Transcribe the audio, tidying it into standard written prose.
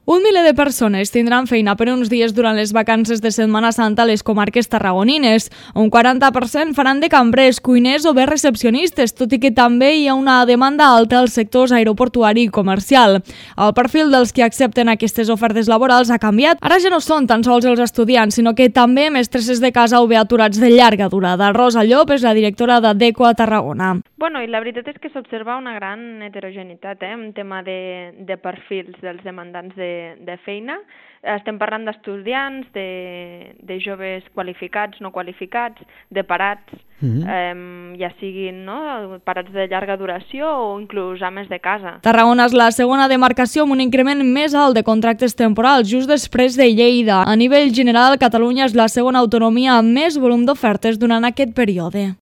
Un miler de persones tindran feina per uns dies durant les vacances de Setmana Santa a les comarques tarragonines. Un 40% faran de cambrers, cuiners o bé recepcionistes, tot i que també hi ha una demanda alta als sectors aeroportuari i comercial. El perfil dels que accepten aquestes ofertes laborals ha canviat. Ara ja no són tan sols els estudiants, sinó que també mestresses de casa o bé aturats de llarga durada. Rosa Llop és la directora d'Adeco a Tarragona. I la veritat és que s'observa una gran heterogeneïtat en tema de perfils dels demandants de feina. Estem parlant d'estudiants, de joves qualificats, no qualificats, de parats, ja siguin parats de llarga duració o inclús ames de casa. Tarragona és la segona demarcació amb un increment més alt de contractes temporals, just després de Lleida. A nivell general, Catalunya és la segona autonomia amb més volum d'ofertes durant aquest període.